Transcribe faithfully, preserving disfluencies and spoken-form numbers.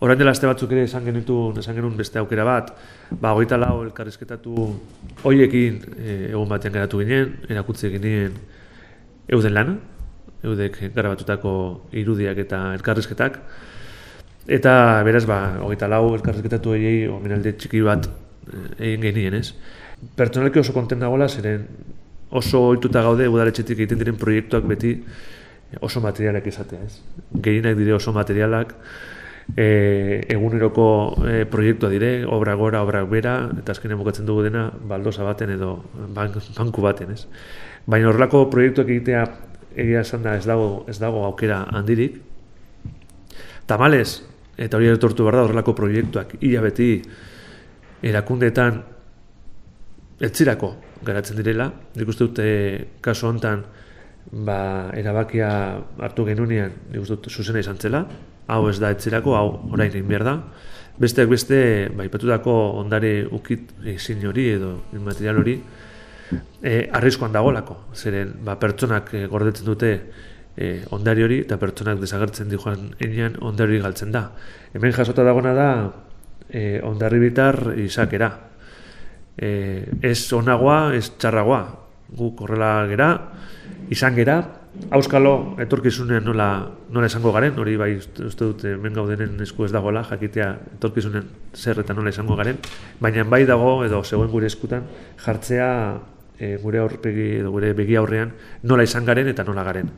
orain dela aste batzuk ere esan genitun, esan genuen beste aukera bat, ba, hogeita lau elkarrizketatu hoiekin e, egun batean geratu ginen, erakutzi ginen euden lana, eudek garabatutako irudiak eta elkarrizketak, eta beraz, ba, hogeita lau elkarrizketatu horiei omenalde txiki bat egin genien, ez? Pertsonalki oso kontent dagoela, zeren oso ohituta gaude udaletxetik egiten diren proiektuak beti oso materialak izatea, ez? Gehienak dire oso materialak, e, eguneroko e, proiektua dire, obra gora, obra bera, eta azkenean bukatzen dugu dena baldosa baten edo bank, banku baten, ez? Baina horrelako proiektuak egitea egia esan da ez dago, ez dago aukera handirik. Tamalez, eta hori etortu behar da horrelako proiektuak ia beti erakundeetan etzirako garatzen direla. Nik uste dut kasu honetan ba, erabakia hartu genunean nik uste dut zuzena izan zela. Hau ez da etzirako, hau orain egin behar da. Besteak beste, ba, ipatutako ondare ukit ezin hori edo material hori e, arriskoan dagolako. Zeren ba, pertsonak e, gordetzen dute e, ondari hori eta pertsonak desagertzen di joan enean ondari hori galtzen da. Hemen jasota dagona da e, ondarri bitar izakera. E, ez onagoa, ez txarragoa. Guk horrela gera, izan gera, auskalo etorkizunean nola, nola esango garen, hori bai uste dut hemen gaudenen esku ez dagoela, jakitea etorkizunean zer eta nola esango garen, baina bai dago edo zegoen gure eskutan jartzea e, gure aurpegi edo gure begi aurrean nola izan garen eta nola garen.